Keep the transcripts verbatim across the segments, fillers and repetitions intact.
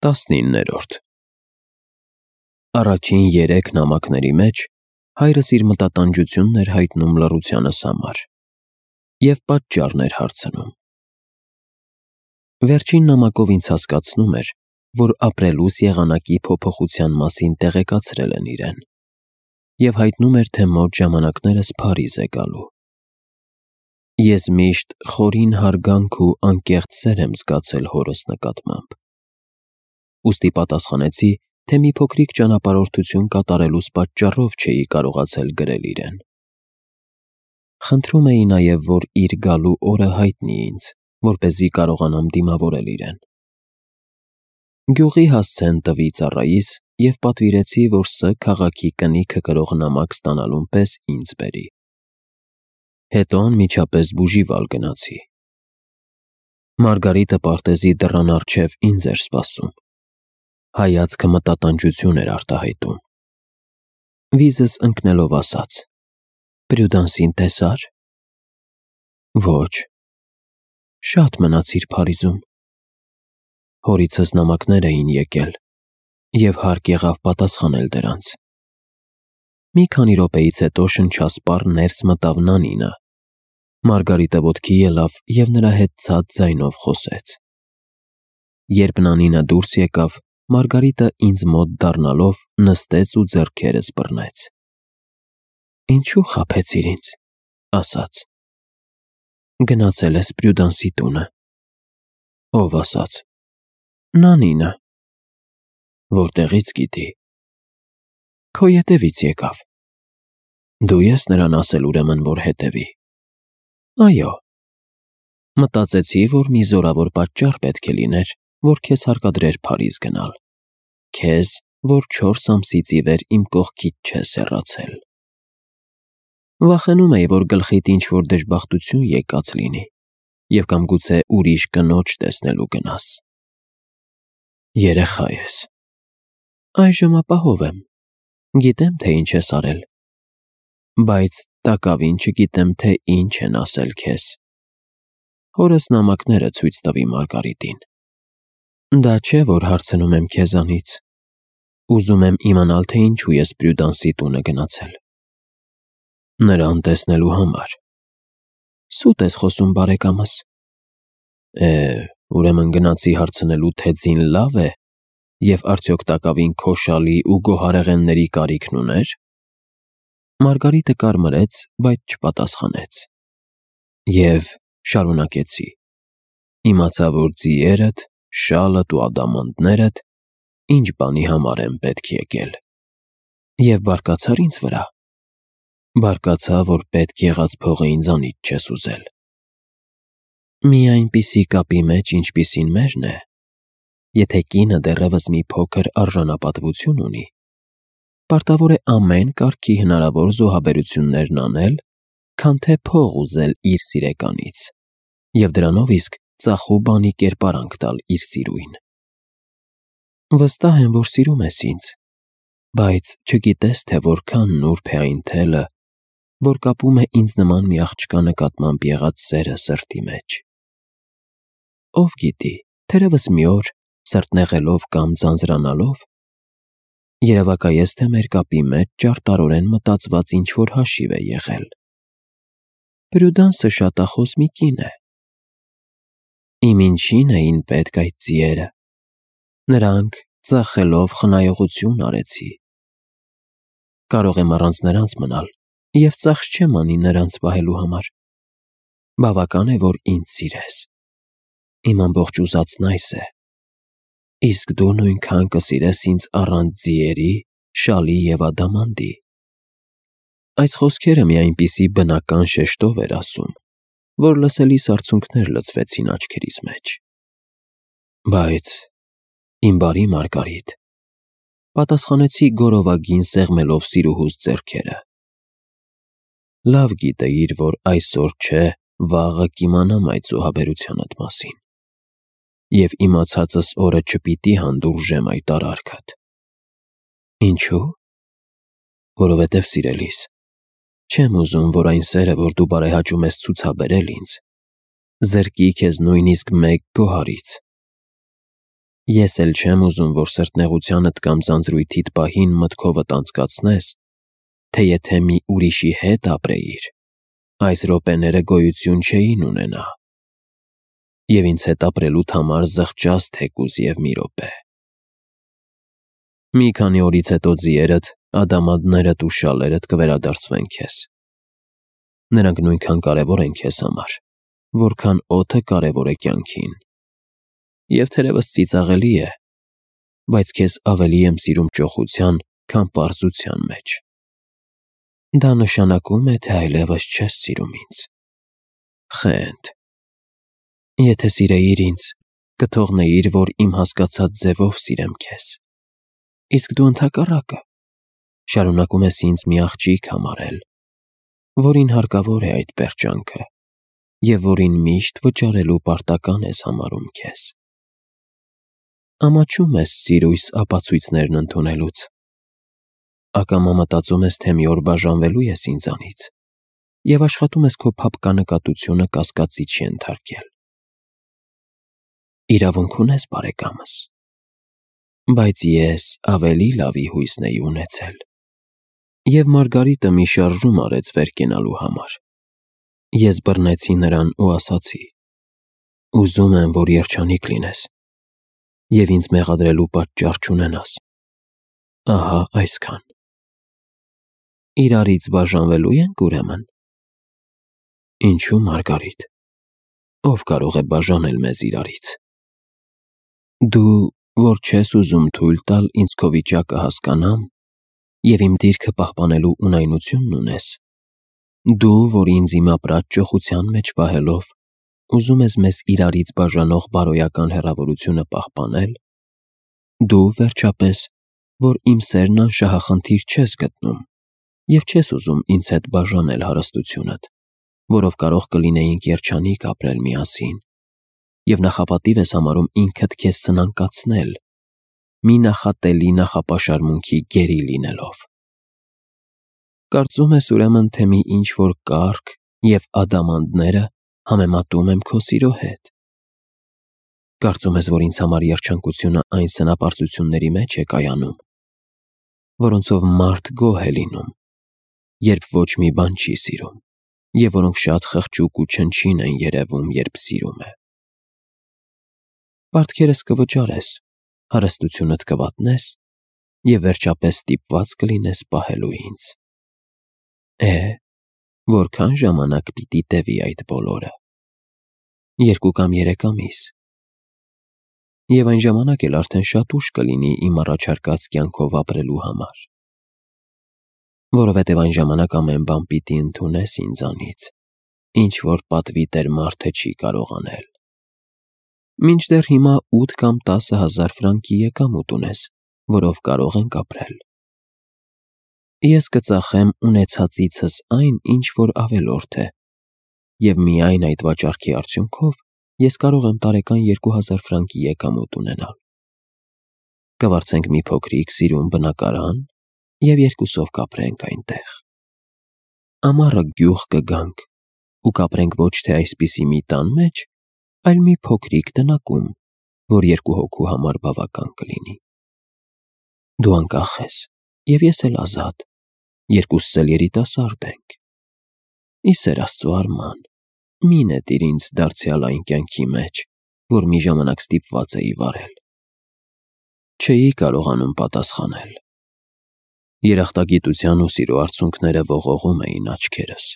Տասնիններորդ Առաջին երեք նամակների մեջ հայրս իր մտատանջությունն էր հայտնում լռությանս համար և պատճառն էր հարցնում։ Վերջին նամակով ինձ հասկացնում էր, որ ապրելուս եղանակի փոփոխության մասին տեղեկացրել են իրեն և հայտնում էր, թե մոտ ժամանակներս Փարիզ է գալու։ Ես միշտ խորին հարգանք ու անկեղծ սեր եմ զգացել հորս նկատմամբ, ուստի պատասխանեցի, թե մի փոքրիկ ճանապարհորդություն կատարելուս պատճառով չէի կարողացել գրել իրեն։ Խնդրում էի նաև, որ իր գալու օրը հայտնի ինձ, որպեսզի կարողանամ դիմավորել իրեն։ Գյուղի հասցեն տվի ծառայիս և պատվիրեցի, որ Ս քաղաքի կնիքը կրող նամակ ստանալուն պես ինձ բերի։ Հետո անմիջապես Բուժիվալ գնացի։ Մարգարիտը պարտեզի դռան առջև ինձ էր սպասում։ Հայացքը մտատանջություն էր արտահայտում։ Վիզս ընկնելով ասաց. «Պրյուդանսին տեսա՞ր»։ Ոչ։ Շատ մնացիր Փարիզում։ Հորիցս նամակներ էին եկել, և հարկ եղավ պատասխանել դրանց։ Մի քանի րոպեից հետո շնչասպառ ներս մտավ Նանինը։ Մարգարիտը ոտքի ելավ և նրա հետ ցած ձայնով խոսեց։ Երբ Նանինը դուրս եկավ, Մարգարիտը ինձ մոտ դառնալով նստեց ու ձեռքերս բռնեց։ «Ինչու խաբեցիր ինձ», ասաց։ «Գնացել ես Պրյուդանսի տունը»։ Ո՞վ ասաց։ Նանինը։ Որտեղի՞ց գիտի։ Քո ետևից եկավ։ Դու ես նրան ասել ուրեմն, որ հետևի։ Այո։ Մտածեցի, որ մի զորավոր պատճառ պետք է լիներ, որ քեզ հարկադրեր Փարիզ գնալ, քեզ, որ չորս ամսից ի վեր իմ կողքից չես հեռացել։ Վախենում էի, որ գլխիդ ինչ-որ դժբախտություն եկած լինի և կամ գուցե ուրիշ կնոջ տեսնելու գնաս։ Երեխա ես։ Այժմ ապահով եմ, գիտեմ, թե ինչ ես արել, բայց տակավին չգիտեմ, թե ինչ են ասել քեզ։ Հորս նամակները ցույց տվի Մարգարիտին։ Դա չէ, որ հարցնում եմ քեզանից։ Ուզում եմ իմանալ, թե ինչու ես Պրյուդանսի տունը գնացել։ Նրան տեսնելու համար։ Սուտ ես խոսում, բարեկամս։ Է, ուրեմն գնացի հարցնելու, թե ձին լավ է և արդյոք տակավին քո շալի ու գոհարեղենների կարիքն ուներ։ Մարգարիտը կարմրեց, բայց չպատասխանեց։ Եվ շարունակեցի. Իմացա, որ ձիերդ, շալդ ու ադամանդներդ ինչ բանի համար են պետք եկել։ Եվ բարկացար ինձ վրա։ Բարկացա, որ պետք եղած փողը ինձանից չես ուզել։ Մի այնպիսի կապի մեջ, ինչպիսին մերն է, եթե կինը դեռևս մի փոքր արժանապատվություն ունի, պարտավոր է ամեն կարգի հնարավոր զոհաբերություններն անել, քան թե փող ուզել իր սիրեկանից և դրանով իսկ ծախու բանի կերպարանք տալ իր սիրուին։ Վստահ եմ, որ սիրում ես ինձ, բայց չգիտես, թե որքան նուրբ է այն թելը, որ կապում է ինձ նման մի աղջկա նկատմամբ եղած սերը սրտի մեջ։ Ով գիտի, թերևս մի օր, սրտնեղելով կամ ձանձրանալով, երևակայես, թե մեր կապի մեջ ճարտարորեն մտածված ինչ-որ հաշիվ է եղել։ Պրյուդանսը շատախոս մի կին է։ Իմ ինչին էին պետք այդ ձիերը։ Նրանք ծախելով խնայողություն արեցի։ Կարող եմ առանց նրանց մնալ և ծախս չեմ անի նրանց պահելու համար։ Բավական է, որ ինձ սիրես։ Իմ ամբողջ ուզածն այս է։ Իսկ դու նույնքան կսիրես ինձ առանց ձիերի, շալի և ադամանդի։ Այս խոսքերը մի այնպիսի բնական շեշտով էր ասում, որ լսելիս արցունքներ լցվեցին աչքերիս մեջ։ Բայց, իմ բարի Մարգարիտ, պատասխանեցի գորովագին սեղմելով սիրուհուս ձեռքերը։ Լավ գիտեիր, որ այսօր չէ, վաղը կիմանամ այդ զոհաբերությանդ մասին, և իմացածս օրը չպիտի հանդուրժեմ այդ արարքդ։ Ինչու՞։ Որովհետև, սիրելիս, չեմ ուզում, որ այն սերը, որ դու բարեհաճում ես ցուցաբերել ինձ, զրկի քեզ նույնիսկ մեկ գոհարից։ Ես էլ չեմ ուզում, որ սրտնեղությանդ կամ ձանձրույթիդ պահին մտքովդ անցկացնես, թե եթե մի ուրիշի հետ ապրեիր, այս րոպեները գոյություն չէին ունենա, և ինձ հետ ապրելուդ համար զղջաս թեկուզ և մի րոպե։ Մի քանի օրից հետո ձիերդ, ադամանդներդ ու շալերդ կվերադարձվեն քեզ։ Նրանք նույնքան կարևոր են քեզ համար, որքան օդը կարևոր է կյանքին։ Եվ թերևս ծիծաղելի է, բայց քեզ ավելի եմ սիրում ճոխության, քան պարզության մեջ։ Դա նշանակում է, թե այլևս չես սիրում ինձ։ Խենթ։ Եթե սիրեիր ինձ, կթողնեիր, որ իմ հասկացած ձևով սիրեմ քեզ։ Իսկ դու ընդհակառակը, շարունակում ես ինձ մի աղջիկ համարել, որին հարկավոր է այդ պերճանքը, և որին միշտ վճարելու պարտական ես համարում քեզ։ Ամաչում ես սիրույս ապացույցներն ընդունելուց։ Ակամա մտածում ես, թե մի օր բաժանվելու ես ինձանից, և աշխատում ես քո փափկանկատությունը կասկածի չենթարկել։ Իրավունք ունես, բարեկամս, բայց ես ավելի լավի հույսն էի ունեցել։ Եվ Մարգարիտը մի շարժում արեց վեր կենալու համար։ Ես բռնեցի նրան ու ասացի. «Ուզում եմ, որ երջանիկ լինես, և ինձ մեղադրելու պատճառ չունենաս։ Ահա այսքան։ Իրարից բաժանվելո՞ւ ենք, ուրեմն»։ Ինչո՞ւ, Մարգարիտ, ով կարող է բաժանել մեզ իրարից։ Դու, որ չես ուզում թույլ տալ ինձ քո վիճակը հասկանամ և իմ դիրքը պահպանելու ունայնությունն ունես, դու, որ ինձ իմ ապրած ճոխության մեջ պահելով, ուզում ես մեզ իրարից բաժանող բարոյական հեռավորությունը պահպանել, դու, վերջապես, որ իմ սերն անշահախնդիր չես գտնում և չես ուզում ինձ հետ բաժանել հարստությունդ, որով կարող կլինեինք երջանիկ ապրել միասին, և նախապատիվ ես համարում ինքդ քեզ սնանկացնել, մի նախատելի նախապաշարմունքի գերի լինելով։ Կարծում ես, ուրեմն, թե մի ինչ-որ կառք և ադամանդները համեմատում եմ քո սիրո հետ։ Կարծում ես, որ ինձ համար երջանկությունը այն սնապարծությունների մեջ է կայանում, որոնցով մարդ գոհ է լինում, երբ ոչ մի բան չի սիրում, և որոնք շատ խղճուկ ու չնչին են երևում, երբ սիրում է։ Պարտքերս կվճարես, հարստությունդ կվատնես և վերջապես ստիպված կլինես պահելու ինձ։ Է, որքա՞ն ժամանակ պիտի տևի այդ բոլորը։ Երկու կամ երեք ամիս։ Եվ այն ժամանակ էլ արդեն շատ ուշ կլինի իմ առաջարկած կյանքով ապրելու համար։ Որովհետև այն ժամանակ ամեն բան պիտի ընդունես ինձանից, ինչ որ պատվի տեր մարդը չի կարող անել։ Մինչդեռ հիմա ութ կամ տասը հազար ֆրանկի եկամուտ ունես, որով կարող ենք ապրել։ Ես կծախեմ ունեցածիցս այն, ինչ որ ավելորդ է, և միայն այդ վաճառքի արդյունքով ես կարող եմ տարեկան երկու հազար ֆրանկի եկամուտ ունենալ։ Կվարձենք մի փոքրիկ սիրուն բնակարան և երկուսով կապրենք այնտեղ։ Ամառը գյուղ կգանք ու կապրենք ոչ թե այսպիսի մի տան մեջ, այլ մի փոքրիկ տնակում, որ երկու հոգու համար բավական կլինի։ Դու անկախ ես, և ես էլ ազատ, երկուսս էլ երիտասարդ ենք։ Ի սեր Աստծու, Արման, մի նետիր ինձ դարձյալ այն կյանքի մեջ, որ մի ժամանակ ստիպված էի վարել։ Չէի կարողանում պատասխանել։ Երախտագիտության ու սիրո արցունքները ողողում էին աչքերս։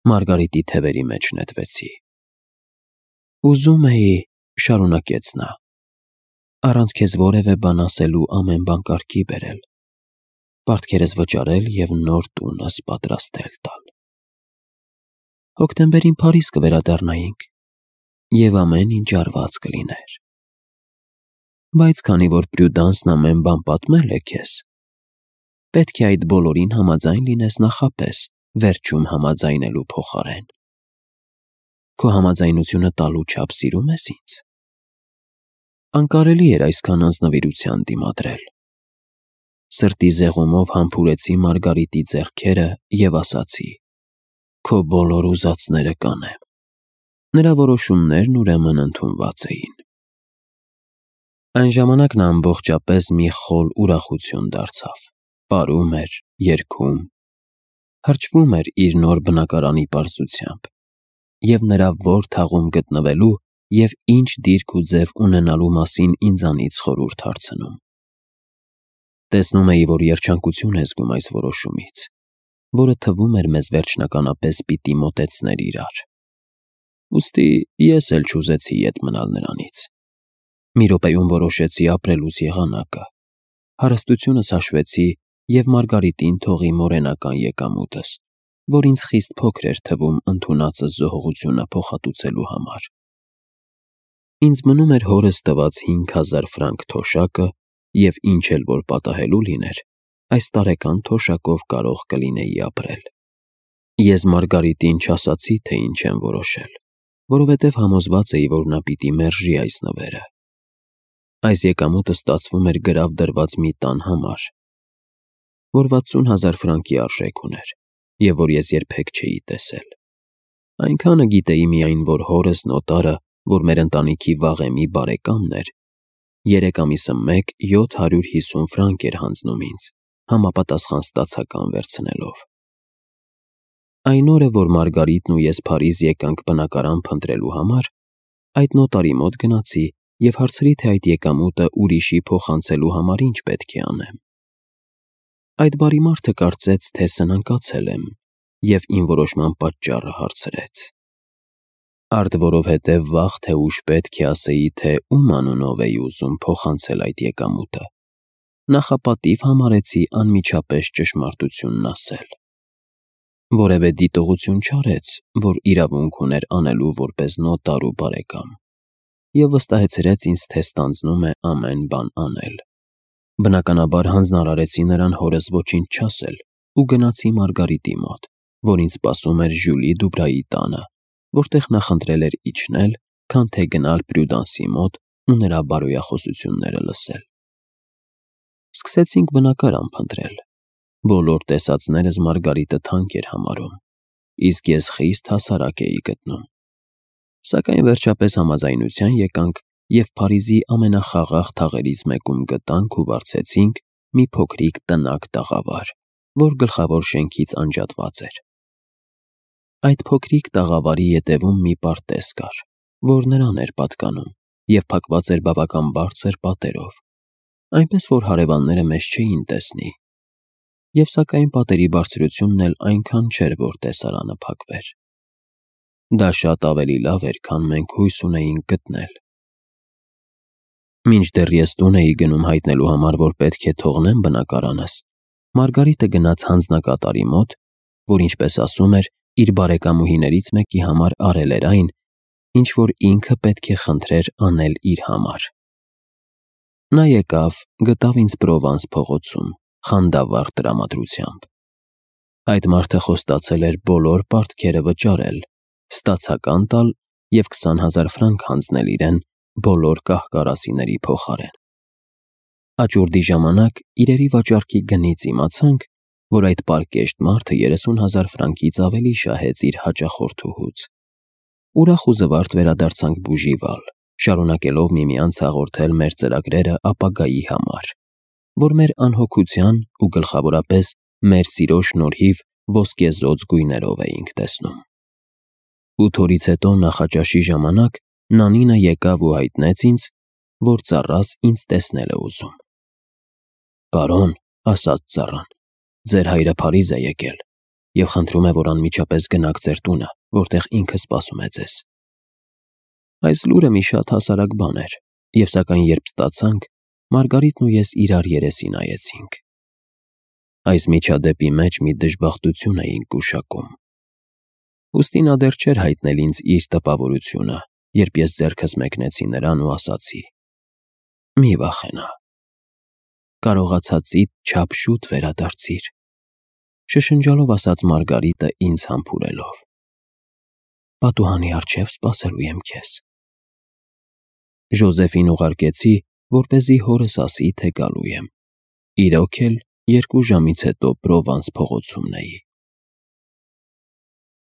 Մարգարիտի թևերի մեջ նետվեցի։ Ուզում էի, շարունակեց նա, առանց քեզ որևէ բան ասելու ամեն բան կարգի բերել, պարտքերս վճարել և նոր տունս պատրաստել տալ։ Հոկտեմբերին Փարիզ կվերադառնայինք, և ամեն ինչ արված կլիներ։ Բայց քանի որ Պրյուդանսն ամեն բան պատմել է քեզ, պետք է այդ բոլորին համաձայն լինես նախապես, վերջում համաձայնելու փոխարեն։ Քո համաձայնությունը տալու չափ սիրում ես ինձ։ Անկարելի էր այսքան անձնվիրության դիմադրել։ Սրտի զեղումով համբուրեցի Մարգարիտի ձեռքերը և ասացի. «Քո բոլոր ուզածները կանեմ»։ Նրա որոշումներն ուրեմն ընդունված էին։ Այն ժամանակ նա ամբողջապես մի խոլ ուրախություն դարձավ, պարում էր, երգում, հրճվում էր իր նոր բնակարանի պարզությամբ և նրա որ թաղում գտնվելու և ինչ դիրք ու ձև ունենալու մասին ինձանից խորհուրդ հարցնում։ Տեսնում էի, որ երջանկություն է զգում այս որոշումից, որը թվում էր մեզ վերջնականապես պիտի մոտեցներ իրար։ Ուստի ես էլ չուզեցի ետ մնալ նրանից։ Մի րոպեում որոշեցի ապրելուս եղանակը, հարստությունս հաշվեցի և Մարգարիտին թողի մորենական եկամուտս, որ ինձ խիստ փոքր էր թվում ընդունածս զոհողությունը փոխհատուցելու համար։ Ինձ մնում էր հորս տված հինգ հազար ֆրանկ թոշակը և ինչ էլ որ պատահելու լիներ, այս տարեկան թոշակով կարող կլինեի ապրել։ Ես Մարգարիտին չասացի, թե ինչ եմ որոշել, որովհետև համոզված էի, որ նա պիտի մերժի այս նվերը։ Այս եկամուտը ստացվում էր գրավ դրված մի տան համար, որ վաթսուն հազար ֆրանկի արժեք ուներ և որ ես երբեք չէի տեսել։ Այնքանը գիտեի միայն, որ հորս նոտարը, որ մեր ընտանիքի վաղեմի բարեկամն էր, երեք ամիսը մեկ յոթ հարյուր հիսուն ֆրանկ էր հանձնում ինձ, համապատասխան ստացական վերցնելով։ Այն օրը, որ Մարգարիտն ու ես Փարիզ եկանք բնակարան փնտրելու համար, այդ նոտարի մոտ գնացի և հարցրի, թե այդ եկամուտը ուրիշի փոխանցելու համար ինչ պետք է անեմ։ Այդ բարի մարդը կարծեց, թե սնանկացել եմ և իմ որոշման պատճառը հարցրեց։ Արդ որովհետև վաղ թե ուշ պետք է ասեի, թե ում անունով էի ուզում փոխանցել այդ եկամուտը, նախապատիվ համարեցի անմիջապես ճշմարտությունն ասել։ Որևէ դիտողություն չարեց, որ իրավունք ուներ անելու որպես նոտար ու բարեկամ, և վստահեցրեց ինձ, թե ստանձնում է ամեն բան անել։ Բնականաբար հանձնարարեցի նրան հորս ոչինչ չասել ու գնացի Մարգարիտի մոտ, որ ինձ սպասում էր Ժյուլի Դուբրայի տանը, որտեղ նա խնդրել էր իջնել, քան թե գնալ Պրյուդանսի մոտ ու նրա բարոյախոսությունները լսել։ Սկսեցինք բնակարան փնտրել։ Բոլոր տեսածներս Մարգարիտը թանկ էր համարում, իսկ ես խիստ հասարակ էի գտնում։ Սակայն վերջապես համաձայնության եկանք և Փարիզի ամենախաղաղ թաղերից մեկում գտանք ու վարձեցինք մի փոքրիկ տնակ տաղավար, որ գլխավոր շենքից անջատված էր։ Այդ փոքրիկ տաղավարի ետևում մի պարտեզ կար, որ նրան էր պատկանում և փակված էր բավական բարձր պատերով, այնպես որ հարևանները մեզ չէին տեսնի, և սակայն պատերի բարձրությունն էլ այնքան չէր, որ տեսարանը փակվեր։ Դա շատ ավելի լավ էր, քան մենք հույս ունեինք գտնել։ Մինչդեռ ես տուն էի գնում հայտնելու համար, որ պետք է թողնեմ բնակարանս, Մարգարիտը գնաց հանձնակատարի մոտ, որ, ինչպես ասում էր, իր բարեկամուհիներից մեկի համար արել էր այն, ինչ որ ինքը պետք է խնդրեր անել իր համար։ Նա եկավ, գտավ ինձ Պրովանս փողոցում, խանդավառ տրամադրությամբ։ Այդ մարդը խոստացել էր բոլոր պարտքերը վճարել, ստացական տալ և քսան հազար ֆրանկ հանձնել իրեն բոլոր կահ֊կարասիների փոխարեն։ Աճուրդի ժամանակ իրերի վաճառքի գնից իմացանք, որ այդ պարկեշտ մարդը երեսուն հազար ֆրանկից ավելի շահեց իր հաճախորդուհուց։ Ուրախ ու զվարթ վերադարձանք Բուժիվալ, շարունակելով միմյանց հաղորդել մեր ծրագրերը ապագայի համար, որ մեր անհոգության ու գլխավորապես մեր սիրո շնորհիվ ոսկեզօծ գույներով էինք տեսնում։ Ութ օրից հետո նախաճաշի ժամանակ Նանինը եկավ ու հայտնեց ինձ, որ ծառաս ինձ տեսնել է ուզում։ «Պարոն», ասաց ծառան, «ձեր հայրը Փարիզ է եկել և խնդրում է, որ անմիջապես գնաք ձեր տունը, որտեղ ինքը սպասում է ձեզ»։ Այս լուրը մի շատ հասարակ բան էր, և սակայն երբ ստացանք, Մարգարիտն ու ես իրար երեսի նայեցինք։ Այս միջադեպի մեջ մի դժբախտություն էինք գուշակում։ Ուստի նա դեռ չէր հայտնել ինձ իր տպավորությունը, երբ ես ձեռքս մեկնեցի նրան ու ասացի. «Մի վախենա, կարողացածիդ չափ շուտ վերադարձիր», շշնջալով ասաց Մարգարիտը ինձ համբուրելով։ «Պատուհանի առջև սպասելու եմ քեզ»։ Ժոզեֆին ուղարկեցի, որպեսզի հորս ասի, թե գալու եմ։ Իրոք էլ երկու ժամից հետո Պրովանս փողոցումն էի։